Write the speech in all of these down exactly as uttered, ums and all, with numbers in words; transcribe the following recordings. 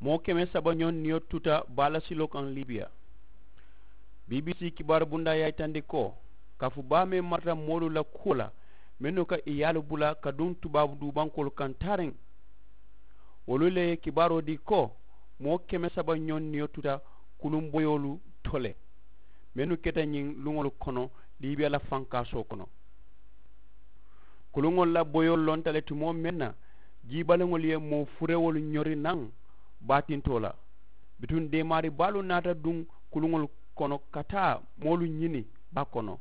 Moo keme saba ñoŋ niyo tuta baa la siloo kaŋ libiya. Bbc kibaaru bundaa ye a yitandi ko kafu baa meŋ marata moolu la kuwo la mennu ka i yaalu bula ka duŋ tubaabu duubankoolu kaŋ taariŋ. Wolu le ye kibaaroo dii ko moo keme saba ñoŋ niyo tuta kuluŋ boyoolu to le mennu keta ñiŋ luŋolu kono libiya la fankaasoo kono. Kuluŋolu la boyoolu lonta le tumoo meŋ na jiibaliŋolu ye moo furewolu ñori naŋ baatintoo la. Bituŋ deemaari baalu naata duŋ kuluŋolu kono ka taa moolu ñini baa kono.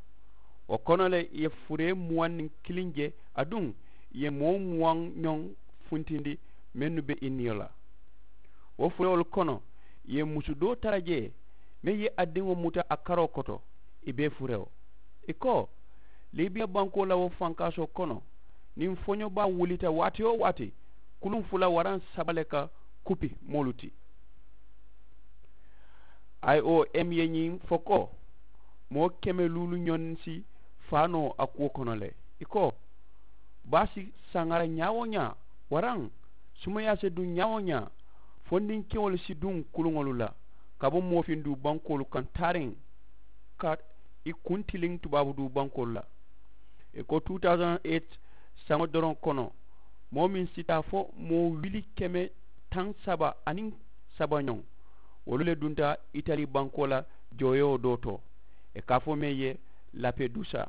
Wo kono le i ye furee muwaŋ niŋ kiliŋ je aduŋ i ye moo muwaŋ ñoŋ funtindi mennu be i niyo la. Wo furewolu kono i ye musu doo tara jee meŋ ye a diŋo muta a karoo koto. I bee furewo i ko libiya bankoo la wo fankaasoo kono niŋ foño baa wulita waati-wo-waati kuluŋ fula waraŋ saba le ka kupi moolu ti. I o m ye ñiŋ fo ko moo keme luulu ñoŋ si faanoo a kuwo kono le. I ko baa si saŋara ñaa-wo-ñaa waraŋ sumayaa si duŋ ñaa-wo-ñaa. Fondinkeŋolu si duŋ kuluŋolu la ka bo moofinduu bankoolu kaŋ taariŋ ka i kuntiliŋ tubaabu duu bankoolu la. I ko two thousand eight saŋo doroŋ kono moo meŋ si taa fo moo wili keme taŋ saba aniŋ saba ñoŋ wolu le dunta itali bankoo la jooyoo doo to i ka a fo meŋ ye lapedusa.